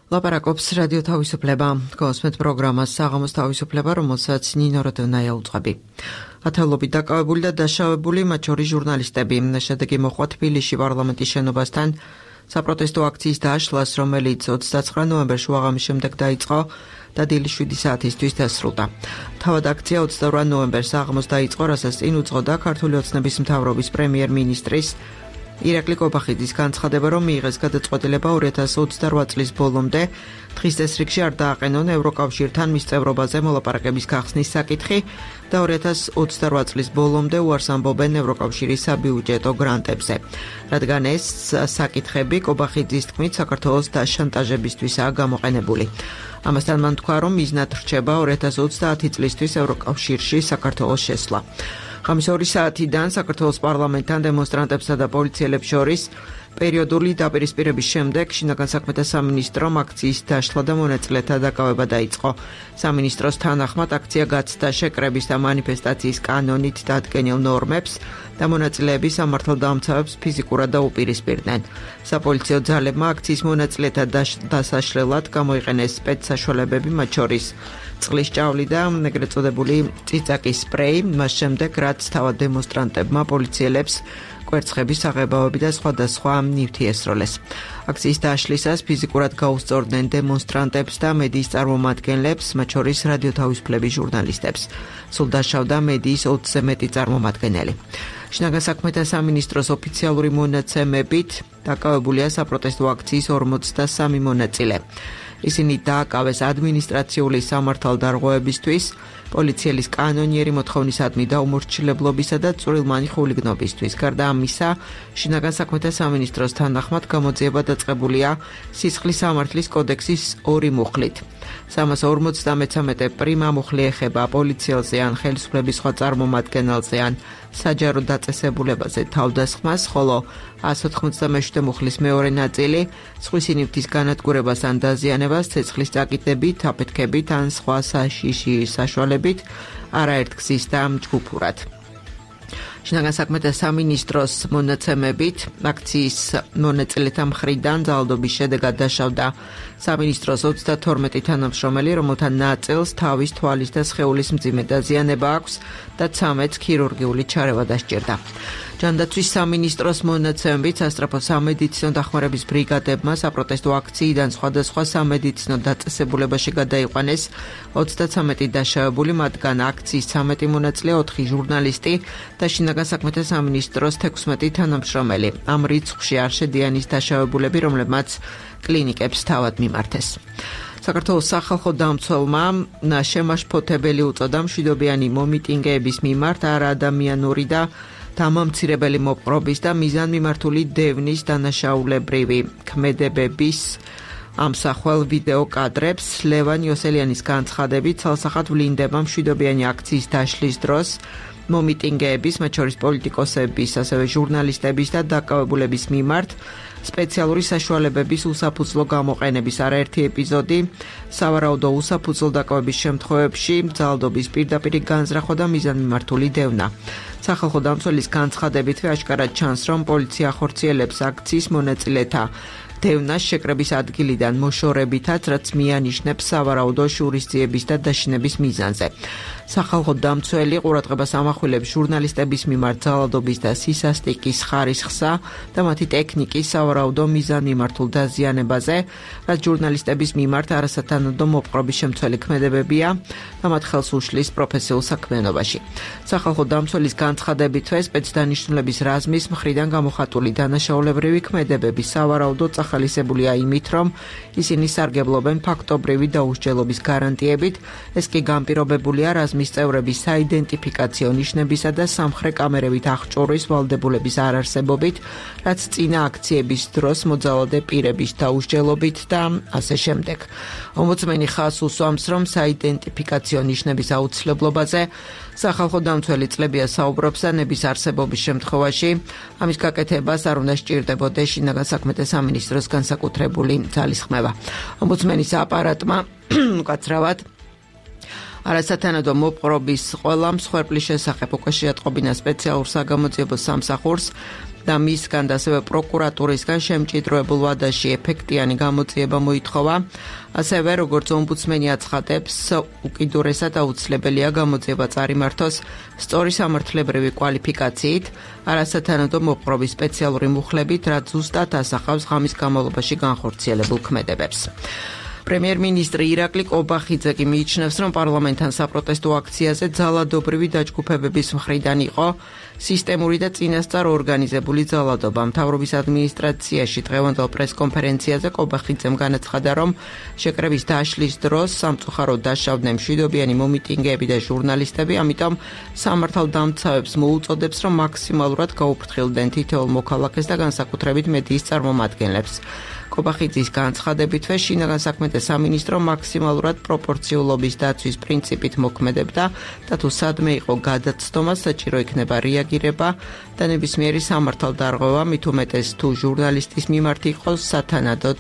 ლაპარაკობს რადიო თავისუფლება, გოსმეთ პროგრამას საღამოს თავისუფლება, რომელსაც ნინო როდონაია უძღვები. ათეულობით დაკავებული და დაშავებული, მათ შორის ჟურნალისტები. შედეგი მოჰყვა თბილისში პარლამენტის შენობასთან საპროტესტო აქციის დაშლას, რომელიც 29 ნოემბერში უაღამის შემდეგ დაიწყო და დილის 7 საათისთვის დასრულდა. თავად აქცია 22 ნოემბერს საღამოს დაიწყო, რასაც წინ უძღოდა ქართული ოცნების მთავრობის პრემიერ-მინისტრის ირაკლი კობახიძის განცხადება, რომ მიიღეს გადაწყვეტილება 2028 წლის ბოლომდე დღის წესრიგში არ დააყენონ ევროკავშირთან მის წევრობაზე მოლაპარაკების გახსნის საკითხი და 2028 წლის ბოლომდე უარს ამბობენ ევროკავშირის საბიუჯეტო გრანტებზე. რადგან ეს საკითხები კობახიძის თქმით საქართველოს დაშანტაჟებისთვისაა გამოყენებული. ამასთან მან თქვა, რომ მიზნად რჩება 2030 წლისთვის ევროკავშირში საქართველოს შესვლა. ხამის 2 საათიდან საქართველოს პარლამენტთან დემონსტრანტებსა და პოლიციელებს შორის პერიოდული დაპირისპირების შემდეგ შინაგან საქმეთა სამინისტრომ აქციის დაშლა და მონაწილეთა დაკავება დაიწყო. სამინისტროს თანახმად აქცია გაცდა შეკრების და მანიფესტაციის კანონით დადგენილ ნორმებს და მონაწილეების სამართალდამცავებს ფიზიკურად დაუპირისპირდნენ. საპოლიციო ძალებმა აქციის მონაწილეთა დასაშლელად გამოიყენეს სპეცსაშუალებები, მათ შორის წყლის ჭავლი და ეგრეთ წოდებული წიწაკის სპრეი, მას შემდეგ რაც თავად დემონსტრანტებმა პოლიციელებს კვერცხების საღებავები და სხვადასხვა ნივთი ესროლეს. აქციის დაშლისას ფიზიკურად გაუსწორდნენ დემონსტრანტებს და მედიის წარმომადგენლებს, მათ შორის რადიო თავისუფლების ჟურნალისტებს. სულ დაშავდა მედიის 20-ზე მეტი წარმომადგენელი. შინაგან საქმეთა სამინისტროს ოფიციალური მონაცემებით დაკავებულია საპროტესტო აქციის 43 მონაწილე. ისინი დააკავეს ადმინისტრაციული სამართალდარღვევებისთვის, პოლიციელის კანონიერი მოთხოვნისადმი და უმორჩილებლობისა და წვრილმანი ხულიგნობისთვის. გარდა ამისა, შინაგან საქმეთა სამინისტროს თანახმად გამოძიება დაწყებულია სისხლის სამართლის კოდექსის 2 მუხლით. 353 პრიმა მუხლი ეხება პოლიციელზე ან ხელისუფლების სხვა წარმომადგენელზე ან საჯარო დაწესებულებაზე თავდასხმას, ხოლო 197 მუხლის მეორე ნაწილი სხვისი ნივთის განადგურებას ან დაზიანებას ცეცხლის წაკიდებით, აფეთქებით ან სხვა საშიში საშუალებით არაერთ გზის და ჯგუფურად. შინაგან საქმეთა სამინისტროს მონაცემებით აქციის მონაწილეთა მხრიდან ძალადობის შედეგად დაშავდა სამინისტროს 32 თანამშრომელი, რომელთა ნაწილს თავის, თვალის და სხეულის მძიმე დაზიანება აქვს და 13 ქირურგიული ჩარევა დასჭირდა. ჯანდაცვის სამინისტროს მონაცემებით სასწრაფო სამედიცინო დახმარების ბრიგადებმა საპროტესტო აქციიდან სხვადასხვა სამედიცინო დაწესებულებაში გადაიყვანეს 33 დაშავებული, მათგან აქციის 13 მონაწილე, 4 ჟურნალისტი და შინაგან საქმეთა სამინისტროს 16 თანამშრომელი. ამ რიცხვში არ შედიან ის დაშავებულები, რომლებმაც კლინიკებს თავად მიმართეს. საქართველოს სახალხო დამცველმა შემაშფოთებელი უწოდა მშვიდობიანი მომიტინგეების მიმართ არაადამიანური და დამამცირებელი მოპყრობის და მიზანმიმართული დევნის დანაშაულებრივი ქმედებების ამსახველ ვიდეო კადრებს. ლევან იოსელიანის განცხადებით, ცალსახად ვლინდება მშვიდობიანი აქციის დაშლის დროს მომიტინგეების, მათ შორის პოლიტიკოსების, ასევე ჟურნალისტების და დაკავებულების მიმართ სპეციალური საშუალებების უსაფუძვლო გამოყენების არაერთი ეპიზოდი, სავარაუდო უსაფუძვლო დაკავების შემთხვევებში ძალადობის პირდაპირი განზრახვა და მიზანმიმართული დევნა. სახალხო დამცველის განცხადებითვე აშკარად ჩანს, რომ პოლიცია ახორციელებს აქციის მონაწილეთა დევნას შეკრების ადგილიდან მოშორებითაც, რაც მიანიშნებს სავარაუდო შურისძიების და დაშინების მიზანზე. სახალხო დამცველი ყურადღებას ამახვილებს ჟურნალისტების მიმართ ძალადობის და სისასტიკის ხარისხსა და მათი ტექნიკის სავარაუდო მიზანმიმართულ დაზიანებაზე, რაც ჟურნალისტების მიმართ არასათანადო მოპყრობის შემცველი ქმედებებია და მათ ხელს უშლის პროფესიულ საქმიანობაში. სახალხო დამცველის განცხადებითვე სპეცდანიშნულების რაზმის მხრიდან გამოხატული დანაშაულებრივი ქმედებები სავარაუდო ახალისებულია იმით, რომ ისინი სარგებლობენ ფაქტობრივი დაუსჯელობის გარანტიებით, ეს კი განპირობებულია რაზმის წევრების საიდენტიფიკაციო ნიშნებისა და სამხრე კამერებით აღჭურვის ვალდებულების არარსებობით, რაც წინა აქციების დროს მოძალადე პირების დაუსჯელობით და ასე შემდეგ. ომბუდსმენი ხაზს უსვამს, რომ საიდენტიფიკაციო ნიშნების აუცილებლობაზე სახალხო დამცველი წლებია საუბრობს და ნების არსებობის შემთხვევაში ამის გაკეთებას არ უნდა სჭირდებოდეს შინაგან საქმეთა სამინისტროს განსაკუთრებული ძალისხმევა. ომბუდსმენის აპარატმა უკაცრავად არასათანადო მოპყრობის ყველა მსხვერპლის შესახებ უკაში ატყობინა სპეციალურ საგამოძიებო სამსახურს და მისგან და ასევე პროკურატურისგან შემჭიდროებულ ვადაში ეფექტიანი გამოძიება მოითხოვა. ასევე როგორც ომბუდსმენი აცხადებს, უკიდურესად აუცილებელია გამოძიება წარიმართოს სწორი სამართლებრივი კვალიფიკაციით, არასათანადო მოპყრობის სპეციალური მუხლებით, რაც ზუსტად ასახავს ღამის განმავლობაში განხორციელებულ ქმედებებს. პრემიერ-მინისტრი ირაკლი კობახიძე კი მიიჩნევს, რომ პარლამენტთან საპროტესტო აქციაზე ძალადობრივი დაჯგუფებების მხრიდან იყო სისტემური და წინასწარ ორგანიზებული ძალადობა. მთავრობის ადმინისტრაციაში დღევანდელ პრესკონფერენციაზე კობახიძემ განაცხადა, რომ შეკრების დაშლის დროს სამწუხაროდ დაშავდნენ მშვიდობიანი მომიტინგეები და ჟურნალისტები, ამიტომ სამართალდამცავებს მოუწოდებს, რომ მაქსიმალურად გაუფრთხილდნენ თითოეულ მოქალაქეს და განსაკუთრებით მედიის წარმომადგენლებს. კობახიძის განცხადებითვე შინაგან საქმეთა სამინისტრო მაქსიმალურად პროპორციულობის დაცვის პრინციპით მოქმედებდა და თუ სადმე იყო გადაცდომა, საჭირო იქნება რეაგირება და ნებისმიერი სამართალდარღვევა, მით უმეტეს თუ ჟურნალისტის მიმართ იყოს სათანადოდ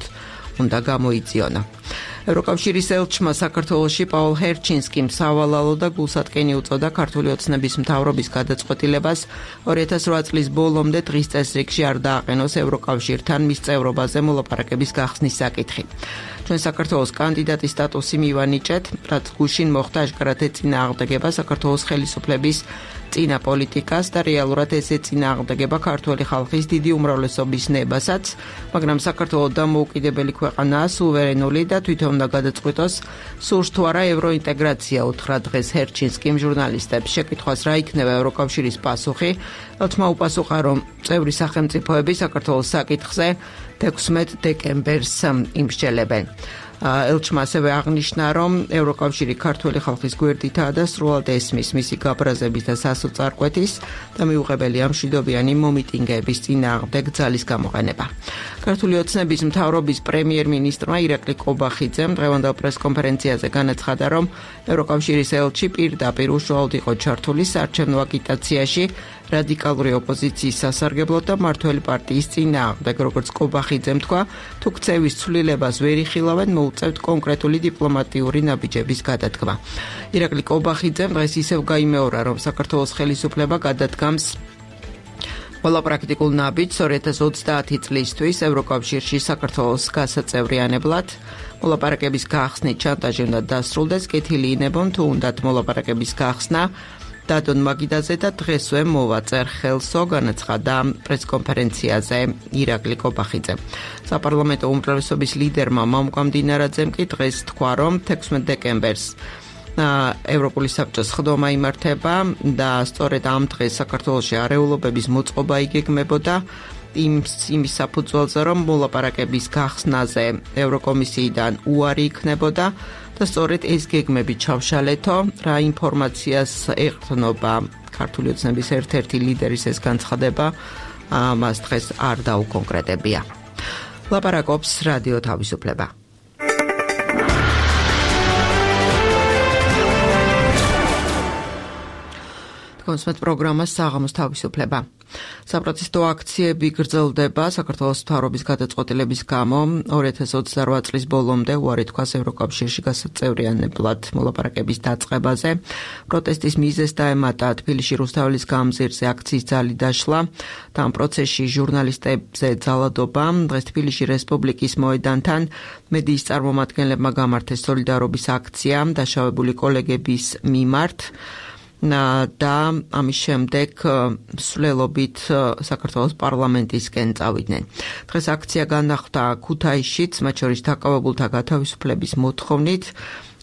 უნდა გამოიწიონა. ევროკავშირის ელჩმა საქართველოში პაულ ჰერჩინსკიმ სავალალო და გულსატკენი უწოდა ქართული ოცნების მთავრობის გადაწყვეტილებას 2008 წლის ბოლომდე დღის წესრიგში არ დააყენოს ევროკავშირთან მის წევრობაზე მოლაპარაკების გახსნის საკითხი. ჩვენ საქართველოს კანდიდატის სტატუსი მივანიჭეთ, რაც გუშინ მოხდა აშკარად ეწინააღმდეგება საქართველოს ხელისუფლების წინა პოლიტიკას და რეალურად ეს ეწინააღმდეგება ქართული ხალხის დიდი უმრავლესობის ნებასაც, მაგრამ საქართველოს დამოუკიდებელი ქვეყანაა, სუვერენული და თვითონ უნდა გადაწყვიტოს სურს თუ არა ევროინტეგრაცია, უთხრა დღეს ჰერჩინსკიმ ჟურნალისტებს. შეკითხვას რა იქნება ევროკავშირის პასუხი, ელჩმა უპასუხა, რომ წევრი სახელმწიფოები საქართველოს საკითხზე 16 დეკემბერს იმსჯელებენ. ელჩმა ასევე აღნიშნა, რომ ევროკავშირი ქართული ხალხის გვერდითაა და სრულად ესმის მისი გაბრაზების და სასოწარკვეთის და მიუღებელია მშვიდობიანი მომიტინგეების წინააღმდეგ ძალის გამოყენება. ქართული ოცნების მთავრობის პრემიერ-მინისტრმა ირაკლი კობახიძემ დღევანდელ პრესკონფერენციაზე განაცხადა, რომ ევროკავშირის ელჩი პირდაპირ უშუალოდ იყო ჩართული საარჩევნო აგიტაციაში რადიკალური ოპოზიციის სასარგებლოდ და მმართველი პარტიის წინააღმდეგ, როგორც კობახიძემ თქვა, თუ ქცევის ცვლილებას ვერ იხილავენ, მოუწევთ კონკრეტული დიპლომატიური ნაბიჯების გადადგმა. ირაკლი კობახიძემ დღეს ისევ გაიმეორა, რომ საქართველოს ხელისუფლება გადადგამს ყველა პრაქტიკულ ნაბიჯს 2030 წლისთვის ევროკავშირში საქართველოს გასაწევრიანებლად. მოლაპარაკების გახსნით შანტაჟი უნდა დასრულდეს, კეთილი ინებონ თუ უნდათ მოლაპარაკების გახსნა დადონ მაგიდაზე და დღესვე მოვაწერ ხელსო, განაცხადა პრესკონფერენციაზე ირაკლი კობახიძე. საპარლამენტო უმრავლესობის ლიდერმა მამუკა მდინარაძემ კი დღეს თქვა, რომ 16 დეკემბერს ევროპული საბჭოს ხდომა იმართება და სწორედ ამ დღეს საქართველოში არეულობების მოწყობა იგეგმებოდა იმის საფუძველზე, რომ მოლაპარაკების გახსნაზე ევროკომისიიდან უარი იქნებოდა და სწორედ ეს გეგმები ჩავშალეთო, რა ინფორმაციას ეყრდნობა ქართული ოცნების ერთ-ერთი ლიდერის ეს განცხადება, მას დღეს არ დაუკონკრეტებია. ლაპარაკობს რადიო თავისუფლება. კონსმეთ პროგრამა საღამოს თავისუფლება. საპროტესტო აქციები გრძელდება საქართველოს მთავრობის გადაწყვეტილების გამო 2028 წლის ბოლომდე უარი თქვას ევროკავშირში გასაწევრიანებლად მოლაპარაკების დაწყებაზე. პროტესტის მიზეზს დაემატა თბილისში რუსთაველის გამზირზე აქციის ძალი დაშლა და ამ პროცესში ჟურნალისტებზე ძალადობა. დღეს თბილისში რესპუბლიკის მოედანთან მედიის წარმომადგენლებმა გამართეს სოლიდარობის აქცია დაშავებული კოლეგების მიმართ. და ამის შემდეგ სვლელობით საქართველოს პარლამენტისკენ წავიდნენ. დღეს აქცია განახლდა ქუთაისშიც, მათ შორის დაკავებულთა გათავისუფლების მოთხოვნით.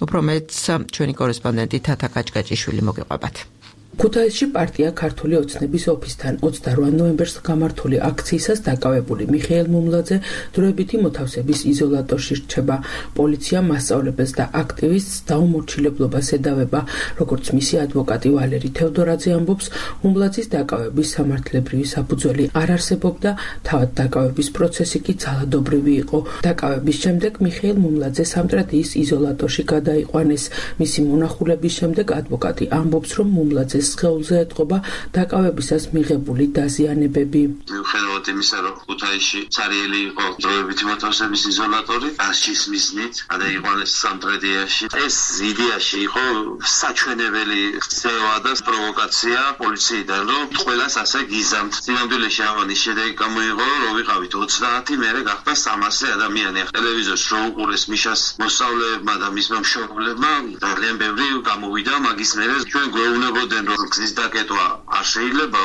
უფრო მეტს ჩვენი კორესპონდენტი თათა კაჭკაჭიშვილი მოგიყვებათ. ქუთაისში პარტია ქართული ოცნების ოფისთან 28 ნოემბერს გამართული აქციისას დაკავებული მიხეილ მუმლაძე დროებითი მოთავსების იზოლატორში რჩება. პოლიცია მასწავლებელს და აქტივისტს დაუმორჩილებლობას ედავება. როგორც მისი ადვოკატი ვალერი თევდორაძე ამბობს, მუმლაძის დაკავების სამართლებრივი საფუძველი არ არსებობდა, თავად დაკავების პროცესი კი ძალადობრივი იყო. დაკავების შემდეგ მიხეილ მუმლაძე სამტრედიის იზოლატორში გადაიყვანეს. მისი მონახულების შემდეგ ადვოკატი ამბობს, რომ მუმლაძეს მუხლუძეს სხეულზე ეთყობა დაკავებისას მიღებული დაზიანებები. მიუხედავად იმისა, რომ ქუთაისში ცარიელი იყო დროებითი მოთავსების იზოლატორი, ასჯის მიზნით გადაიყვანეს სამტრედიაში. ეს იდეაში იყო საჩვენებელი ქცევა და პროვოკაცია პოლიციიდან, რომ ყველას ასე გიზამთ. სინამდვილეში ამანის შედეგი გამოიღო, რომ ვიყავით 30, მერე გახდა 300 ადამიანი. ტელევიზორს რო უყურეს მიშას მოსწავლეებმა და მისმა მშობლებმა, ძალიან ბევრი გამოვიდა, მაგის მერე ჩვენ გვეუბნებოდნენ, რომ გზის დაკეტვა არ შეიძლება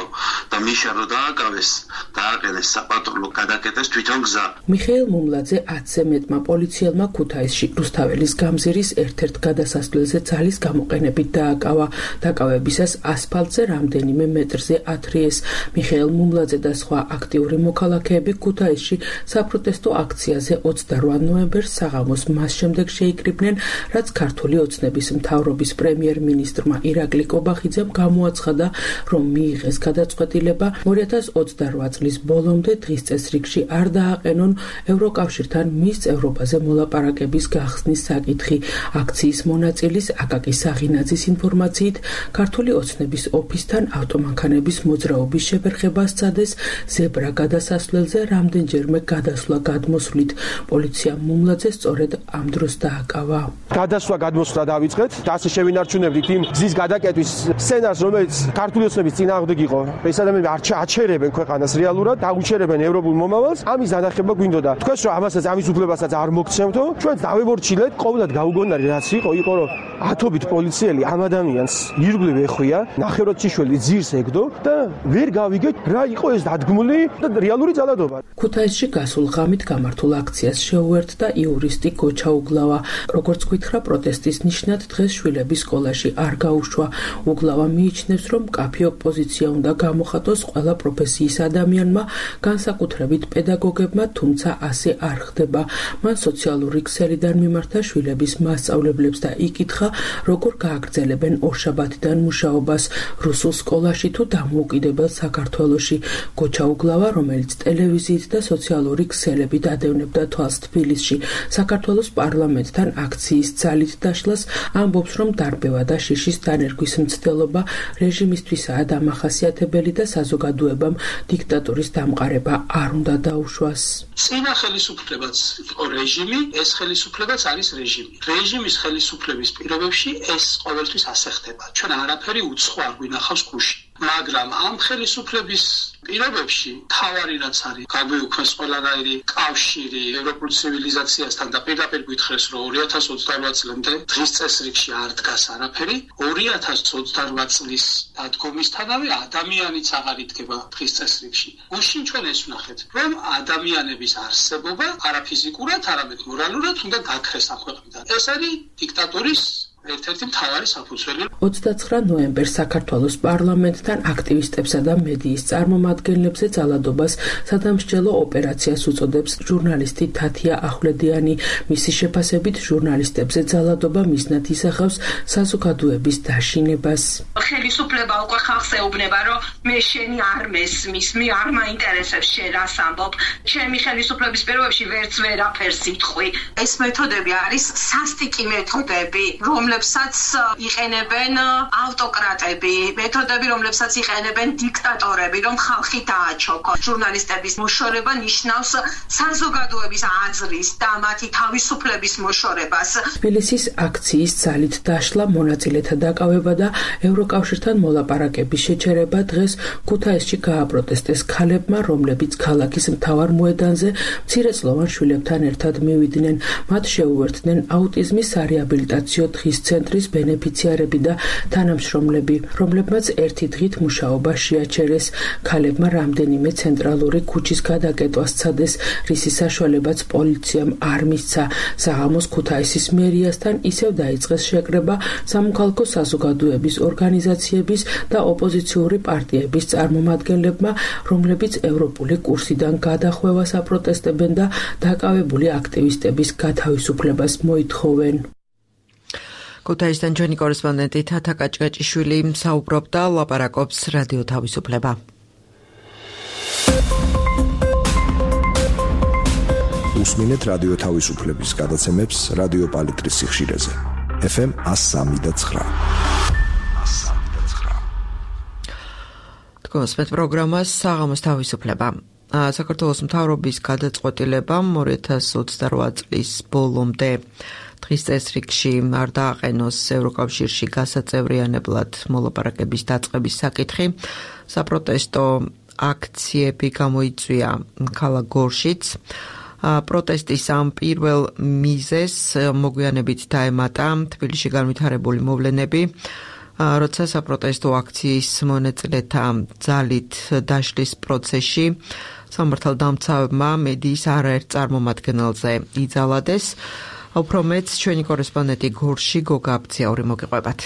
და მიშა რო დააკავეს, დააყენეს საპატრულო გადაკეტეს თვითონ გზა. მიხეილ მუმლაძე 10-ზე მეტმა პოლიციელმა ქუთაისში რუსთაველის გამზირის ერთ-ერთ გადასასვლელზე ძალის გამოყენებით დააკავა. დაკავებისას ასფალტზე რამდენიმე მეტრზე ათრიეს. მიხეილ მუმლაძე და სხვა აქტიური მოქალაქეები ქუთაისში საპროტესტო აქციაზე 28 ნოემბერს საღამოს მას შემდეგ შეიკრიბნენ, რაც ქართული ოცნების მთავრობის პრემიერ-მინისტრმა ირაკლი კობახიძემ გამოაცხადა, რომ მიიღეს გადაწყვეტილება 2028 წლის ბოლომდე დღის წესრიგში არ დააყენონ ევროკავშირთან მის წევრობაზე მოლაპარაკების გახსნის საკითხი. აქციის მონაწილის აკაკი საღინაძის ინფორმაციით, ქართული ოცნების ოფისთან ავტომანქანების მოძრაობის შეფერხება სცადეს ზებრა გადასასვლელზე რამდენჯერმე გადასვლა გადმოსვლით. პოლიცია მუმლაძეს სწორედ ამ დროს დააკავა. გადასვლა გადმოსვლა დავიწყეთ და ასე შევინარჩუნებდით იმ გზის გადაკეტვის სცენარს, რომელიც ქართული ოცნების წინააღმდეგ იყო. ეს ადამიანები აჩერებენ ქვეყანას რეალურად, დაუჩერებენ ევროპულ მომავალს. ამის დანახება გვინდოდა. თქვენს რომ ამასაც ამის უფლებასაც არ მოგცემთო, ჩვენ დავემორჩილეთ, ყოველად გაუგონარი რაც იყო, რომ ათობით პოლიციელი ამ ადამიანს ირგვლივ ეხვია, ნახევრად-ციშველი ძირს ეგდო და ვერ გავიგეთ რა იყო ეს დადგმული და რეალური ძალადობა. ქუთაისში გასულ ღამით გამართულ აქციას შეუერთდა იურისტი გოჩა უგლავა. როგორც გითხრა, პროტესტის ნიშნად დღეს შვილების სკოლაში არ გაუშვა. უგლავა მიიჩნევს, რომ მკაფიო პოზიცია უნდა გამოხატოს ყველა პროფესიის ადამიანმა, განსაკუთრებით პედაგოგებმა, თუმცა ასე არ ხდება. მან სოციალური ქსელიდან მიმართა შვილების მასწავლებლებს და იკითხა, როგორ გააგრძელებენ ორშაბათიდან მუშაობას რუსულ სკოლაში თუ დამოუკიდებელ საქართველოში. გოჩა უგლავა, რომელიც ტელევიზიით და სოციალური ქსელებით ადევნებდა თვალს თბილისში საქართველოს პარლამენტთან აქციის ძალით დაშლას, ამბობს, რომ დარბევა და შიშის დანერგვის მცდელობა რეჟიმისთვისაა დამახასიათებელი და საზოგადოებამ დიქტატურის დამყარება არ უნდა დაუშვას. წინა ხელისუფლებაც იყო რეჟიმი, ეს ხელისუფლებაც არის რეჟიმი. რეჟიმის ხელისუფლების პირობებში ეს ყოველთვის ასე ხდება. ჩვენ არაფერი უცხო არ გვინახავს გუში. მაგრამ ამ ხელისუფლების პირობებში თავარი რაც არის გაგვიუქმეს ყველანაირი კავშირი ევროპულ ცივილიზაციასთან და პირდაპირ გითხრეს, რომ 2028 წლამდე დღის წესრიგში არ დგას არაფერი. 2028 წლის დადგომისთანავე ადამიანიც აღარ იდგება დღის წესრიგში. გუშინ ჩვენ ეს ვნახეთ, რომ ადამიანების არსებობა არა ფიზიკურად, არამედ მორალურად უნდა გაქრეს ამ ქვეყნიდან. ეს არის დიქტატურის ერთ-ერთი მთავარი საფუძველი. 29 ნოემბერს საქართველოს პარლამენტთან აქტივისტებსა და მედიის წარმომადგენლებზე ძალადობას სადამსჯელო ოპერაციას უწოდებს ჟურნალისტი თათია ახვლედიანი. მისი შეფასებით, ჟურნალისტებზე ძალადობა მიზნად ისახავს საზოგადოების დაშინებას. ხელისუფლება უკვე ხალხს ეუბნება, რომ მე შენი არ მესმის, მე არ მაინტერესებს შენ რას ამბობ, ჩემი ხელისუფლების პირობებში ვერც ვერაფერს იტყვი. ეს მეთოდები არის სასტიკი მეთოდები, რომლებსაც იყენებენ ავტოკრატები, მეთოდები, რომლებსაც იყენებენ დიქტატორები, რომ ხალხი დააჩოქონ. ჟურნალისტების მოშორება ნიშნავს საზოგადოების აზრის და მათი თავისუფლების მოშორებას. თბილისის აქციის ძალით დაშლა, მონაწილეთა დაკავება და ევროკავშირთან მოლაპარაკების შეჩერება დღეს ქუთაისში გააპროტესტეს ქალებმა, რომლებიც ქალაქის მთავარ მოედანზე მცირეწლოვან შვილებთან ერთად მივიდნენ. მათ შეუერთდნენ აუტიზმის სარეაბილიტაციო დღის ცენტრის ბენეფიციარები და თანამშრომლები, რომლებმაც ერთი დღით მუშაობა შეაჩერეს. ქალებმა რამდენიმე ცენტრალური ქუჩის გადაკეტვა სცადეს, რისის საშუალებაც პოლიციამ არ მისცა. საღამოს ქუთაისის მერიასთან ისევ დაიწყეს შეკრება სამოქალაქო საზოგადოების ორგანიზაციების და ოპოზიციური პარტიების წარმომადგენლებმა, რომლებიც ევროპული კურსიდან გადახვევას აპროტესტებენ და დაკავებული აქტივისტების გათავისუფლებას მოითხოვენ. ქუთაისთან ჩვენი კორესპონდენტი თათა კაჭკაჭიშვილი საუბრობდა, ლაპარაკობს რადიო თავისუფლება. უსმინეთ რადიო თავისუფლების გადაცემებს რადიო პალიტრის სიხშირეზე. FM 103.9. გოსმეთ პროგრამას საღამოს თავისუფლება. საქართველოს მთავრობის გადაწყვეტილებამ 2028 წლის ბოლომდე დღის წესრიგში არ დააყენოს ევროკავშირში გასაწევრიანებლად მოლაპარაკების დაწყების საკითხი. საპროტესტო აქციები გამოიწვია ქალაქ გორშიც. პროტესტის ამ პირველ მიზეზს მოგვიანებით დაემატა თბილისში განვითარებული მოვლენები, როცა საპროტესტო აქციის მონაწილეთა ძალით დაშლის პროცესში სამართალდამცავებმა მედიის არაერთ წარმომადგენელზე იძალადეს. უფრო მეც ჩვენი კორესპონდენტი გორში გოგა აბციაური მოგიყვებათ.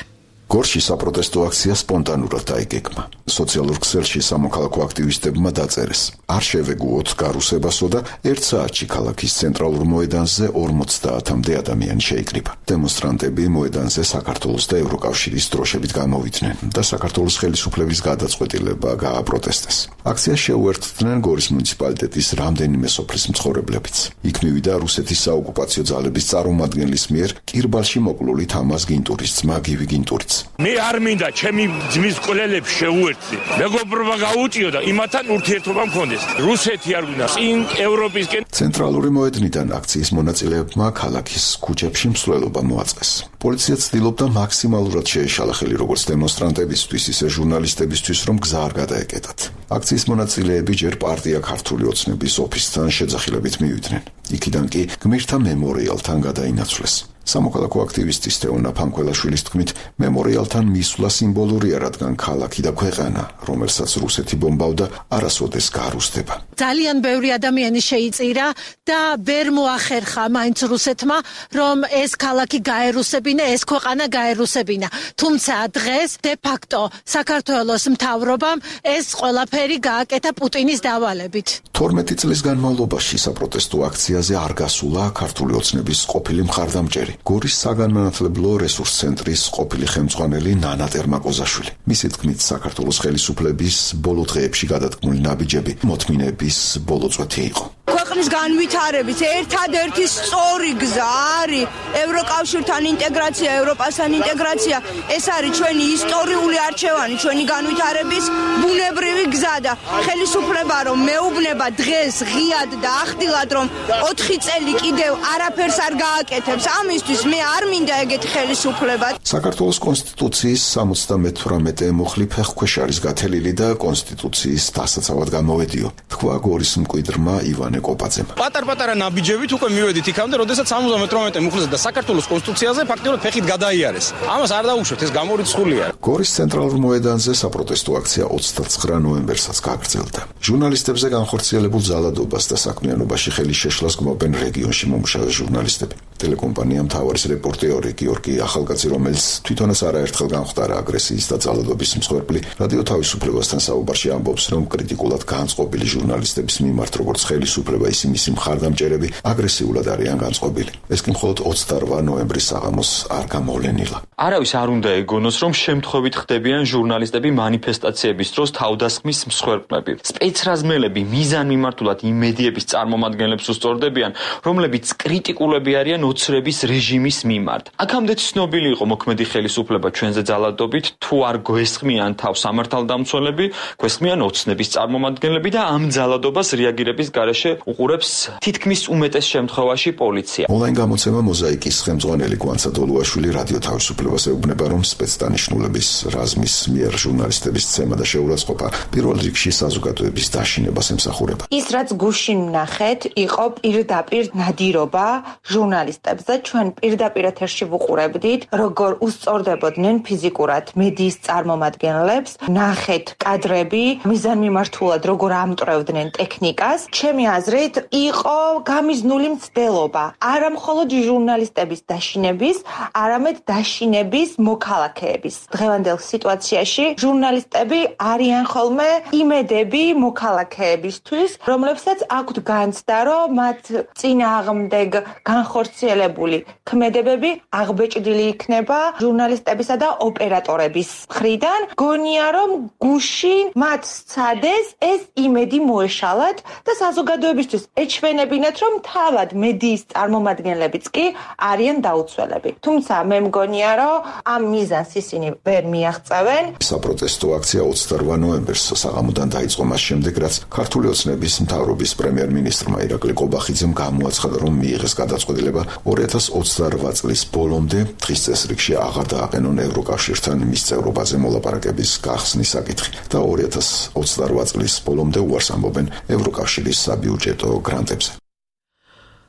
გორში საპროტესტო აქცია სპონტანურად დაიგეგმა. სოციალურ ქსელში სამოქალაქო აქტივისტებმა დაწერეს: არ შევეგუოთ გარუსებასო და 1 საათში ქალაქის ცენტრალურ მოედანზე 50-მდე ადამიანი შეიკრიბა. დემონსტრანტები მოედანზე საქართველოს და ევროკავშირის დროშებით გამოვიდნენ და საქართველოს ხელისუფლების გადაწყვეტილება გააპროტესტეს. აქციას შეუერთდნენ გორის მუნიციპალიტეტის რამდენიმე სოფლის მცხოვრებლებიც. იქ მივიდა რუსეთის საოკუპაციო ძალების წარმომადგენლის მიერ კირბალში მოკლული თამაზ გინტურის ძმა გივი გინტურიც. მე არ მინდა ჩემი ძმის კვლელებს შეუერთდი. მეგობრობა გაუწიო და იმათთან ურთიერთობა მქონდეს. რუსეთი არ გვინდა, წინ ევროპისკენ. ცენტრალური მოედნიდან აქციის მონაწილეებმა ქალაქის ქუჩებში მსვლელობა მოაწყეს. პოლიცია ცდილობდა მაქსიმალურად შეეშალა ხელი როგორც დემონსტრანტებისთვის, ისე ჟურნალისტებისთვის, რომ გზა არ გადაეკეტათ. აქციის მონაწილეები ჯერ პარტია ქართული ოცნების ოფისთან შეძახილებით მივიდნენ. იქიდან კი გმირთა მემორიალთან გადაინაცვლეს. სამოქალაქო აქტივისტის თეონა ფანქველაშვილის თქმით, მემორიალთან მისვლა სიმბოლურია, რადგან ქალაქი და ქვეყანა, რომელსაც რუსეთი ბომბავდა, არასოდეს გაარუსდება. ძალიან ბევრი ადამიანი შეიწირა და ვერ მოახერხა მაინც რუსეთმა, რომ ეს ქალაქი გაერუსებინა, ეს ქვეყანა გაერუსებინა. თუმცა დღეს de facto საქართველოს მთავრობამ ეს ყველაფერი გააკეთა პუტინის დავალებით. 12 წლის განმავლობაში საპროტესტო აქციაზე არ გასულა ქართული ოცნების ყოფილი მხარდამჭერი, გორის საგანმანათლებლო რესურს ცენტრის ყოფილი ხელმძღვანელი ნანა ტერმაკოზაშვილი. მისი თქმით, საქართველოს ხელისუფლების ბოლო დღეებში გადადგმული ნაბიჯები მოთმინების ბოლო წვეთი იყო. ქვეყნის განვითარების ერთადერთი სწორი გზა არის ევროკავშირთან ინტეგრაცია, ევროპასთან ინტეგრაცია. ეს არის ჩვენი ისტორიული არჩევანი, ჩვენი განვითარების ბუნებრივი გზა და ხელისუფლება რომ მეუბნება დღეს ღიად და ახდილად რომ 4 წელი კიდევ არაფერს არ გააკეთებს, ამისთვის მე არ მინდა ეგეთი ხელისუფლება. საქართველოს კონსტიტუციის 78 მუხლი ფეხქვეშ არის გათელილი და კონსტიტუციის დასაცავად გამოვედიო. თქვა გორის მკვიდრმა ივანე კოპაძემ. პატარ-პატარა ნაბიჯებით უკვე მივედით იქამდე, როდესაც 78 მუხლზე და საქართველოს კონსტიტუციაზე ფაქტიურად ფეხით გადაიარეს. ამას არ დაუშვეთ, ეს გამორიცხულია. გორის ცენტრალურ მოედანზე საპროტესტო აქცია 29 ნოემბერსაც გაგრძელდა. ჟურნალისტებზე განხორციელებულ ძალადობას და საქმიანობაში ხელის შეშლას გმობენ რეგიონში მომუშავე ჟურნალისტები. ტელეკომპანია მთავარის რეპორტიორი გიორგი ახალკაცი, რომელიც თვითონაც არაერთხელ განხვდარა აგრესიის და ძალადობის მსხვერპლი, რადიო თავისუფლებასთან საუბარში ამბობს, რომ კრიტიკულად განწყობილი ჟურნალისტების მიმართ, როგორც ხელისუფლება, ისე მისი მხარდამჭერები აგრესიულად არიან განწყობილი. ეს კი მხოლოდ 28 ნოემბრის საღამოს არ გამოვლენილა. არავის არ უნდა ეგონოს, რომ შემთხვევით ხდებიან ჟურნალისტები მანიფესტაციების დროს თავდასხმის მსხვერპლები. სპეცრაზმელები მიზანმიმართულად იმ მედიების წარმომადგენლებს უსწორდებიან, რომლებიც კრიტიკულები არიან ოცნების რეჟიმის მიმართ. აქამდე ცნობილი იყო მოქმედი ხელისუფლება ჩვენზე ძალადობით, თუ არ გვესხმიან თავს სამართალდამცველები, გვესხმიან ოცნების წარმომადგენლები და ამ ძალადობას რეაგირების გარეშე უყურებს თითქმის უმეტეს შემთხვევაში პოლიცია. ონლაინ გამოცემა მოზაიკის ხელმძღვანელი გვანცა დოლუაშვილი რადიო თავისუფლებას ეუბნება, რომ სპეცდანიშნულების რაზმის მიერ ჟურნალისტების ცემა და შეურაცხყოფა პირველ რიგში საზოგადოების დაშინებას ემსახურება. ის რაც გუშინ ნახეთ, იყო პირდაპირ ნადირობა ჟურნალისტებზე. ჩვენ პირდაპირ ეთერში ვუყურებდით, როგორ უსწორდებოდნენ ფიზიკურად მედიის წარმომადგენლებს. ნახეთ კადრები, მიზანმიმართულად როგორ ამტვრევდნენ ტექნიკას. ჩემი აზრით, იყო გამიზნული მცდელობა. არა მხოლოდ ჟურნალისტების დაშინების, არამედ დაშინების მოქალაქეების. დღევანდელ სიტუაციაში ჟურნალისტები არიან ხოლმე იმედები მოქალაქეებისთვის, რომლებსაც აქვთ განცდა, რომ მათ წინააღმდეგ განხორციელებული ქმედებები აღბეჭდილი იქნება ჟურნალისტებისა და ოპერატორების მხრიდან. გონია, რომ გუშინ მათ სცადეს ეს იმედი მოეშალათ და საზოგადოებისთვის ეჩვენებინათ, რომ თავად მედიის წარმომადგენლებიც კი არიან დაუცველები. თუმცა მე მგონია, რომ ამ მიზანს ისინი ვერ მიაღწევენ. საპროტესტო აქცია 28 ნოემბერს საღამოდან დაიწყო მას შემდეგ, რაც ქართული ოცნების მთავრობის პრემიერ-მინისტრმა ირაკლი ყობახიძემ გამოაცხადა, რომ მიიღეს გადაწყვეტილება 2028 წლის ბოლომდე დღის წესრიგში აღარ დააყენონ ევროკავშირთან მის წევრობაზე მოლაპარაკების გახსნის საკითხი და 2028 წლის ბოლომდე უარს ამბობენ ევროკავშირის საბიუჯეტო გრანტებზე.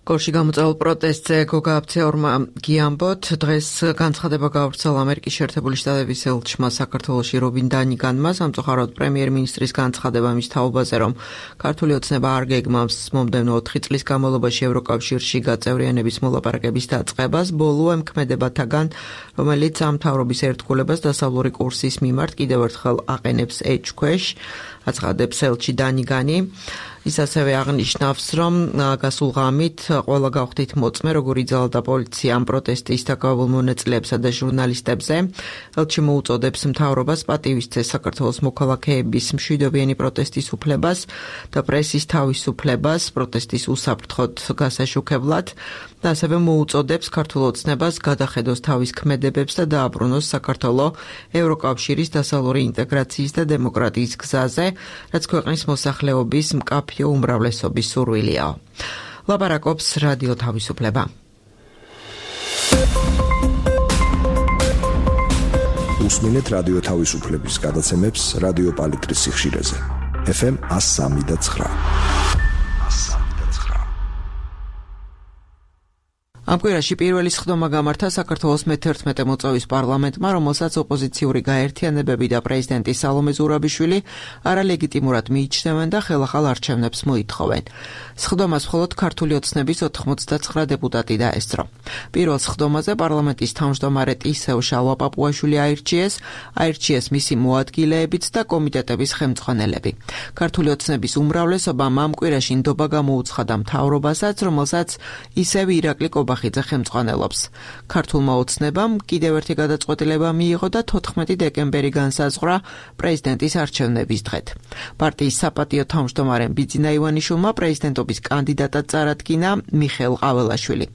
გორში გამოწვეულ პროტესტზე გოგა აფცეორმა გიამბოთ დღეს განცხადება გაავრცელა ამერიკის შეერთებული შტატების ელჩმა საქართველოში რობინ დანიგანმა, სამწუხაროდ პრემიერ-მინისტრის განცხადება მის თაობაზე, რომ ქართული ოცნება არ გეგმავს მომდევნო 4 წლის განმავლობაში ევროკავშირში გაწევრიანების მოლაპარაკების დაწყებას, ბოლო ემქმედებათაგან, რომელიც ამ მთავრობის ერთგულებას დასავლური კურსის მიმართ კიდევ ერთხელ აყენებს ეჭქვეშ, აცხადებს ელჩი დანიგანი. ის ასევე აღნიშნავს, რომ გასულ ღამით ყველა გავხდით მოწმე, როგორ იძალდა პოლიცია ამ პროტესტის დაკავებულ მონაწილეებსა და ჟურნალისტებზე. ელჩი მოუწოდებს მთავრობას პატივისცეს საქართველოს მოქალაქეების მშვიდობიანი პროტესტის უფლებას და პრესის თავისუფლებას პროტესტის უსაფრთხოდ გასაშუქებლად და ასევე მოუწოდებს ქართულ ოცნებას გადახედოს თავის ქმედებებს და დააბრუნოს საქართველო ევროკავშირის დასავლური ინტეგრაციის და დემოკრატიის გზაზე, რაც ქვეყნის მოსახლეობის მკაფიო უმრავლესობის სურვილია. ლაპარაკობს რადიო თავისუფლება. უსმინეთ რადიო თავისუფლების გადაცემებს რადიო პალიტრის სიხშირეზე. FM 103.9. ამ კვირაში პირველი სხდომა გამართა საქართველოს მე-11 მოწვევის პარლამენტმა, რომელსაც ოპოზიციური გაერთიანებები და პრეზიდენტი სალომე ზურაბიშვილი არალეგიტიმურად მიიჩნევენ და ხელახალ არჩევნებს მოითხოვენ. სხდომას მხოლოდ ქართული ოცნების 99 დეპუტატი დაესწრო. პირველ სხდომაზე პარლამენტის თავმჯდომარე ტისევ შალვა-პაპუაშვილი აირჩიეს მისი მოადგილეებიც და კომიტეტების ხელმძღვანელები. ქართული ოცნების უმრავლესობამ ამ კვირაში ნდობა გამოუცხადა მთავრობასაც, რომელსაც ისევ ირაკლი ყობახიძე ხელმძღვანელობს. ქართულმა ოცნებამ კიდევ ერთი გადაწყვეტილება მიიღო და 14 დეკემბერი განსაზღვრა პრეზიდენტის არჩევნების დღედ. პარტიის საპატიო თავმჯდომარემ ბიძინა ივანიშვილმა პრეზიდენტობის კანდიდატად წარადგინა მიხეილ ყაველაშვილი.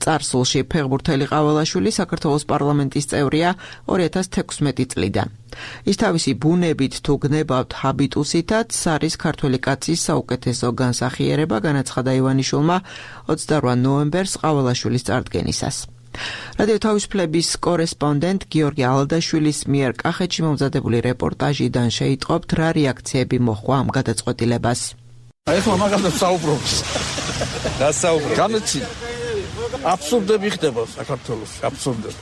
წარსულში ფეხბურთელი ყაველაშვილი საქართველოს პარლამენტის წევრია 2016 წლიდან. ის თავისი ბუნებით თუ გნებავთ ჰაბიტუსითაც არის ქართველი კაცის საუკეთესო განსახიერება, განაცხადა ივანიშვილმა 28 ნოემბერს ყაველაშვილის წარდგენისას. რადიო თავისუფლების კორესპონდენტ გიორგი ალადაშვილის მიერ კახეთში მომზადებული რეპორტაჟიდან შეიტყობთ, რა რეაქციები მოჰყვა ამ გადაწყვეტილებას. ეხლა მაგასაც საუბრობს. რა საუბრობს? განაცი აბსურდები ხდება საქართველოში, აბსურდები.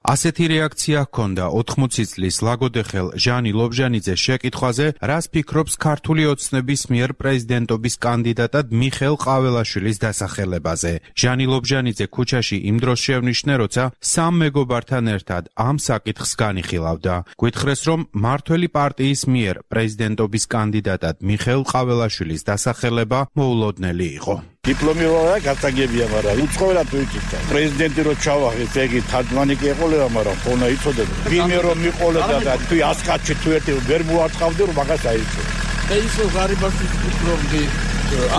ასეთი რეაქცია ჰქონდა 80 წლის ლაგოდეხელ ჟანი ლობჟანიძეს შეკითხვაზე, რას ფიქრობს ქართული ოცნების მიერ პრეზიდენტობის კანდიდატად მიხეილ ყაველაშვილის დასახელებაზე. ჟანი ლობჟანიძე ქუჩაში იმ დროს შევნიშნე, როცა სამ მეგობართან ერთად ამ საკითხს განიხილავდა. გვითხრეს, რომ მართველი პარტიის მიერ პრეზიდენტობის კანდიდატად მიხეილ ყაველაშვილის დასახელება მოულოდნელი იყო. დიპლომი რა გასაგებია, მაგრამ უცხოელად ვიკითხა. პრეზიდენტი რო ჩავაღეთ, ეგი თაჯმანი კი ეყოლება, მაგრამ ხონა იცოდება. ვინმე რომ მიყოლება და თუ ასკაჩი თუ ერთი ვერ მოაწყავდი, რომ მაგას აიწო. ისო გარიბაშვილის ფიქრობდი,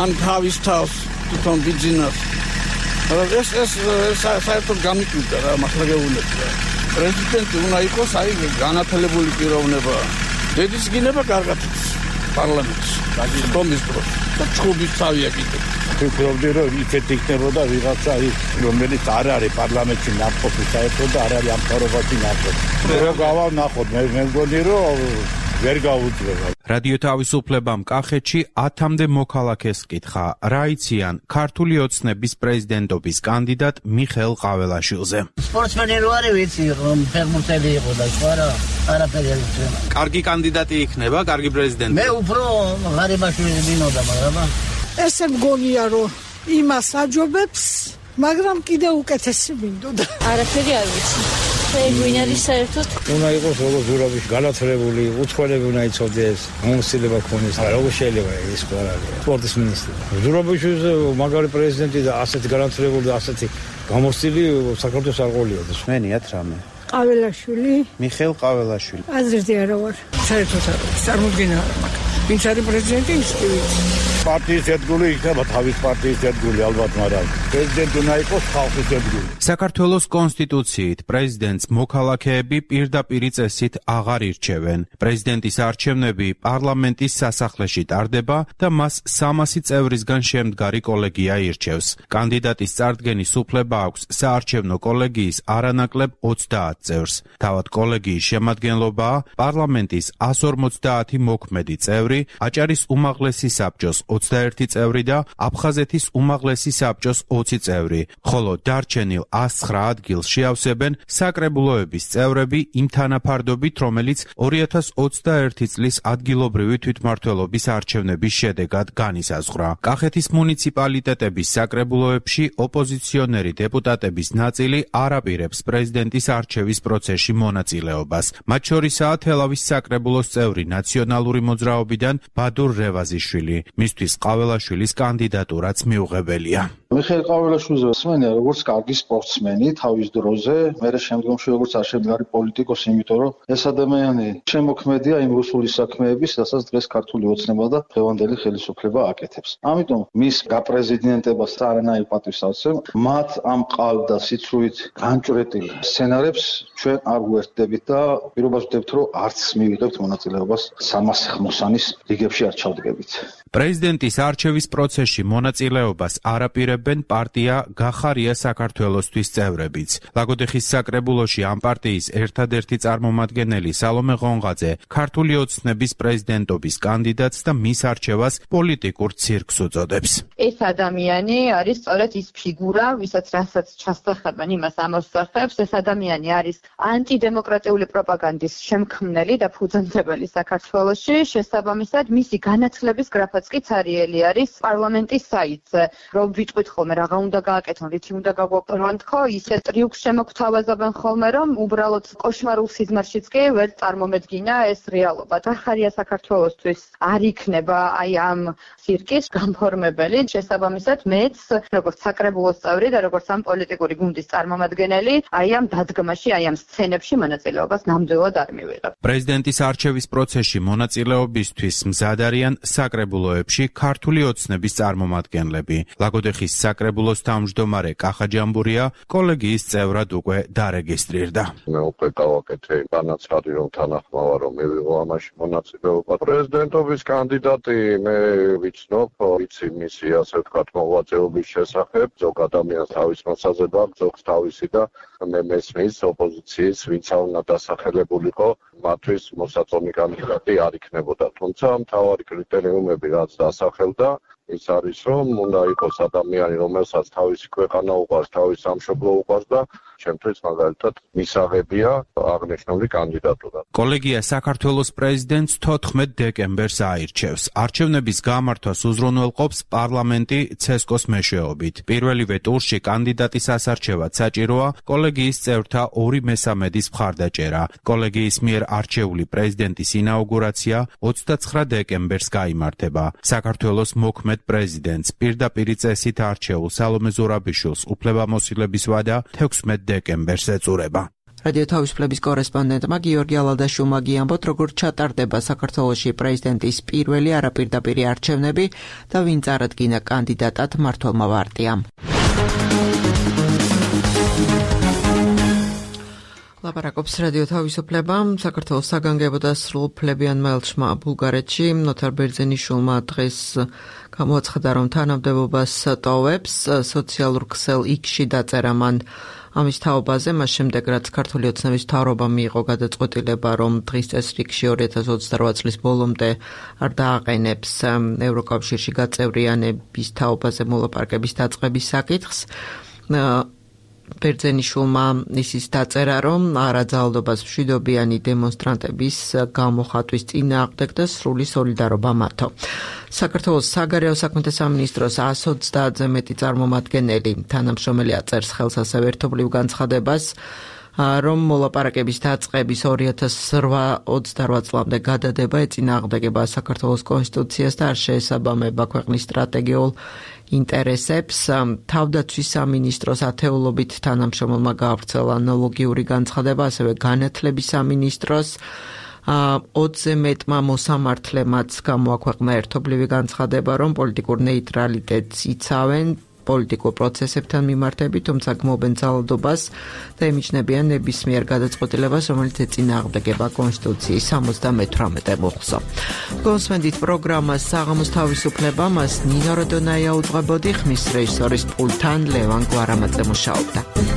ან თავის თავს თვითონ ბიძინას. ეს საერთოდ გამიკვირდა რა, მახლაგეულებს. პრეზიდენტი უნდა იყოს აი განათლებული პიროვნება. დედის გინება კარგად პარლამენტში. გაგიწყობის დროს და ჩხუბის თავია კიდე. ვფიქრობდი, რომ იქეთ იქნებოდა ვიღაცა, რომელიც არ არის პარლამენტში ნაყოფი საერთოდ და არ არის ამ თავრობაში ნაყოფი. რო გავანახოთ, მე მგონი, რომ ვერ გაუძლება. რადიო თავისუფლებამ კახეთში 10-მდე მოქალაქეს კითხა, რა იციან ქართული ოცნების პრეზიდენტობის კანდიდატ მიხეილ ყაველაშვილზე. სპორტსმენი რო არის, ვიცი, რომ ფეხბურთელი იყო და სხვა რა, არაფერი არ იციან. კარგი კანდიდატი იქნება, კარგი პრეზიდენტი. მე უფრო ღარიბაშვილი მინოდა, მაგრამ ესე მგონია, რომ იმას აჯობებს, მაგრამ კიდე უკეთესი მინდოდა. არაფერი არ ვიცი. ვინარის საერთოდ უნდა იყოს როგორც ზურაბიშვილი განათლებული, უცხოელები უნდა იცოდეს, მომსწრება ქონდეს. როგორ შეიძლება ის ყველაფერი? სპორტის მინისტრი. ზურაბიშვილის მაგარი პრეზიდენტი და ასეთი განათლებული და ასეთი გამოსწრილი საქართველოს არ ყოლიოდეს. მენიათ რამე. ყაველაშვილი. მიხეილ ყაველაშვილი. აზრზე არა ვარ. საერთოდ არ ვიცი, წარმოდგენა არ მაქვს. ვინც არის პრეზიდენტი, ის კი ვიცი. პარტიის ერთგული იქნება თავის პარტიის ერთგული ალბათ, მაგრამ პრეზიდენტი უნდა იყოს ხალხის ერთგული. საქართველოს კონსტიტუციით პრეზიდენტს მოქალაქეები პირდაპირი წესით აღარ ირჩევენ. პრეზიდენტის არჩევნები პარლამენტის სასახლეში ტარდება და მას 300 წევრისგან შემდგარი კოლეგია ირჩევს. კანდიდატის წარდგენის უფლება აქვს საარჩევნო კოლეგიის არანაკლებ 30 წევრს. თავად კოლეგიის შემადგენლობაა პარლამენტის 150 მოქმედი წევრი, აჭარის უმაღლესი საბჭოს 21 წევრი და აფხაზეთის უმაღლესი საბჭოს 20 წევრი, ხოლო დარჩენილ 109 ადგილს შეავსებენ საკრებულოების წევრები იმ თანაფარდობით, რომელიც 2021 წლის ადგილობრივი თვითმმართველობის არჩევნების შედეგად განისაზღვრა. კახეთის მუნიციპალიტეტების საკრებულოებში ოპოზიციონერი დეპუტატების ნაწილი არ აპირებს პრეზიდენტის არჩევის პროცესში მონაწილეობას. მათ შორისაა თელავის საკრებულოს წევრი ნაციონალური მოძრაობიდან ბადურ რევაზიშვილი. მისთვის ყაველაშვილის კანდიდატურაც მიუღებელია. მიხეილ ყაველაშვილზე ვსმენია როგორც კარგი სპორტსმენი თავის დროზე, მერე შემდგომში როგორც არჩევანგარი პოლიტიკოსი, იმიტომ რომ ეს ადამიანი შემოქმედია იმ რუსული საქმეების, რასაც დღეს ქართული ოცნება და დღევანდელი ხელისუფლება აკეთებს. ამიტომ მის გაპრეზიდენტებას არანაირ პატივს არ ვცემ. მათ ამ ყალბ და სიცრუით განჭვრეტილ სცენარებს ჩვენ არ ვუერთდებით და პირობას ვდებთ, რომ არც მივიღებთ მონაწილეობას 300-ის რიგებში არ ჩავდგებით. პრეზიდენტის არჩევის პროცესში მონაწილეობას არ აპირებენ პარტია გახარია საქართველოსთვის წევრებიც. ლაგოდეხის საკრებულოში ამ პარტიის ერთადერთი წარმომადგენელი სალომე ღონღაძე ქართული ოცნების პრეზიდენტობის კანდიდატს და მის არჩევას პოლიტიკურ ცირკს უწოდებს. ეს ადამიანი არის სწორედ ის ფიგურა, ვისაც რასაც ჩასახებენ, იმას ამოსახებს. ეს ადამიანი არის ანტიდემოკრატიული პროპაგანდის შემქმნელი და ფუძემდებელი საქართველოში. შესაბამისად, მისი განათლების გრაფიკი კი ცარიელი არის პარლამენტის საიტზე. რომ ვიტყვით ხოლმე რაღა უნდა გააკეთონ, რითი უნდა გაგვაპროვან თქო, ისე ტრიუქს შემოგთავაზებენ ხოლმე, რომ უბრალოდ კოშმარულ სიზმარშიც კი ვერ წარმომედგინა ეს რეალობა. გახარია საქართველოსთვის არ იქნება აი ამ ცირკის განფორმებელი. შესაბამისად, მეც როგორც საკრებულოს წევრი და როგორც ამ პოლიტიკური გუნდის წარმომადგენელი, აი ამ დადგმაში, აი ამ სცენებში მონაწილეობას ნამდვილად არ მივიღებ. პრეზიდენტის არჩევის პროცესში მონაწილეობისთვის მზად არიან საკრებულოებში ქართული ოცნების წარმომადგენლები. ლაგოდეხის საკრებულოს თავმჯდომარე კახა ჯამბურია კოლეგიის წევრად უკვე დარეგისტრირდა. მე უკვე გავაკეთე განაცხადი, რომ თანახმავა რომ მივიღო ამაში მონაწილეობა. პრეზიდენტობის კანდიდატი მე ვიცნობ, ვიცი მისი ასე ვთქვათ მოღვაწეობის შესახებ, ზოგ ადამიანს თავის მოსაზრება აქვს, ზოგს თავისი და მე მესმის ოპოზიციის ვინც უნდა დასახელებულიყო, მათთვის მოსაწონი კანდიდატი არ იქნებოდა. თუმცა მთავარი კრიტერიუმები რაც დასახელდა ის არის რომ უნდა იყოს ადამიანი რომელსაც თავისი ქვეყანა უყვარს, თავის სამშობლო უყვარს და ჩემთვის მაგალითად მისაღებია აღნიშნული კანდიდატურა. კოლეგია საქართველოს პრეზიდენტს 14 დეკემბერს აირჩევს. არჩევნების გამართვას უზრუნველყოფს პარლამენტი ცესკოს მეშვეობით. პირველივე ტურში კანდიდატის ასარჩევად საჭიროა კოლეგიის წევრთა 2/3 მხარდაჭერა. კოლეგიის მიერ არჩეული პრეზიდენტის ინაუგურაცია 29 დეკემბერს გაიმართება. საქართველოს მოქმედ პრეზიდენტს პირდაპირ წესით არჩეულ სალომე ზურაბიშვილს უფლებამოსილების ვადა 16 დეკემბერს ეწურება. რადიო თავისუფლების კორესპონდენტმა გიორგი ალადაშვილმა გიამბოთ, როგორ ჩატარდება საქართველოში პრეზიდენტის პირველი არაპირდაპირი არჩევნები და ვინ წარადგინა კანდიდატად მმართველმა პარტიამ. ლაპარაკობს რადიო თავისუფლება. საქართველოს საგანგებო და სრულუფლებიან მელჩმა ბულგარეთში ნოთარ ბერძენიშვილმა დღეს გამოაცხადა, რომ თანამდებობას ტოვებს. სოციალურ ქსელ X-ში დაწერა მან ამის თაობაზე, მას შემდეგ რაც ქართული ოცნების მთავრობა მიიღო გადაწყვეტილება, რომ დღის წესრიგში 2028 წლის ბოლომდე არ დააყენებს ევროკავშირში გაწევრიანების თაობაზე მოლაპარაკების დაწყების საკითხს. ბერძენიშვილმა ისიც დაწერა, რომ არაძალადობას მშვიდობიანი დემონსტრანტების გამოხატვის წინააღმდეგ და სრული სოლიდარობა მათო. საქართველოს საგარეო საქმეთა სამინისტროს 130-ზე მეტი წარმომადგენელი თანამშრომელი აწერს ხელს ასევე ერთობლივ განცხადებას, რომ მოლაპარაკების დაწყების 2028 წლამდე გადადება ეწინააღმდეგება საქართველოს კონსტიტუციას და არ შეესაბამება ქვეყნის სტრატეგიულ ინტერესებს. თავდაცვის სამინისტროს ათეულობით თანამშრომელმა გაავრცელა ანალოგიური განცხადება, ასევე განათლების სამინისტროს 20-ზე მეტმა მოსამართლემაც გამოაქვეყნა ერთობლივი განცხადება, რომ პოლიტიკურ ნეიტრალიტეტს იცავენ პოლიტიკურ პროცესებთან მიმართებით, თუმცა გმობენ ძალადობას და ემიჯნებიან ნებისმიერ გადაწყვეტილებას, რომელიც ეწინააღმდეგება კონსტიტუციის 78 მუხლსო. გონსმენდით პროგრამას საღამოს თავისუფლება, მას ნინო როდონაია უძღვებოდი, ხმის რეჟისორის პულტთან ლევან გვარამაძე მუშაობდა.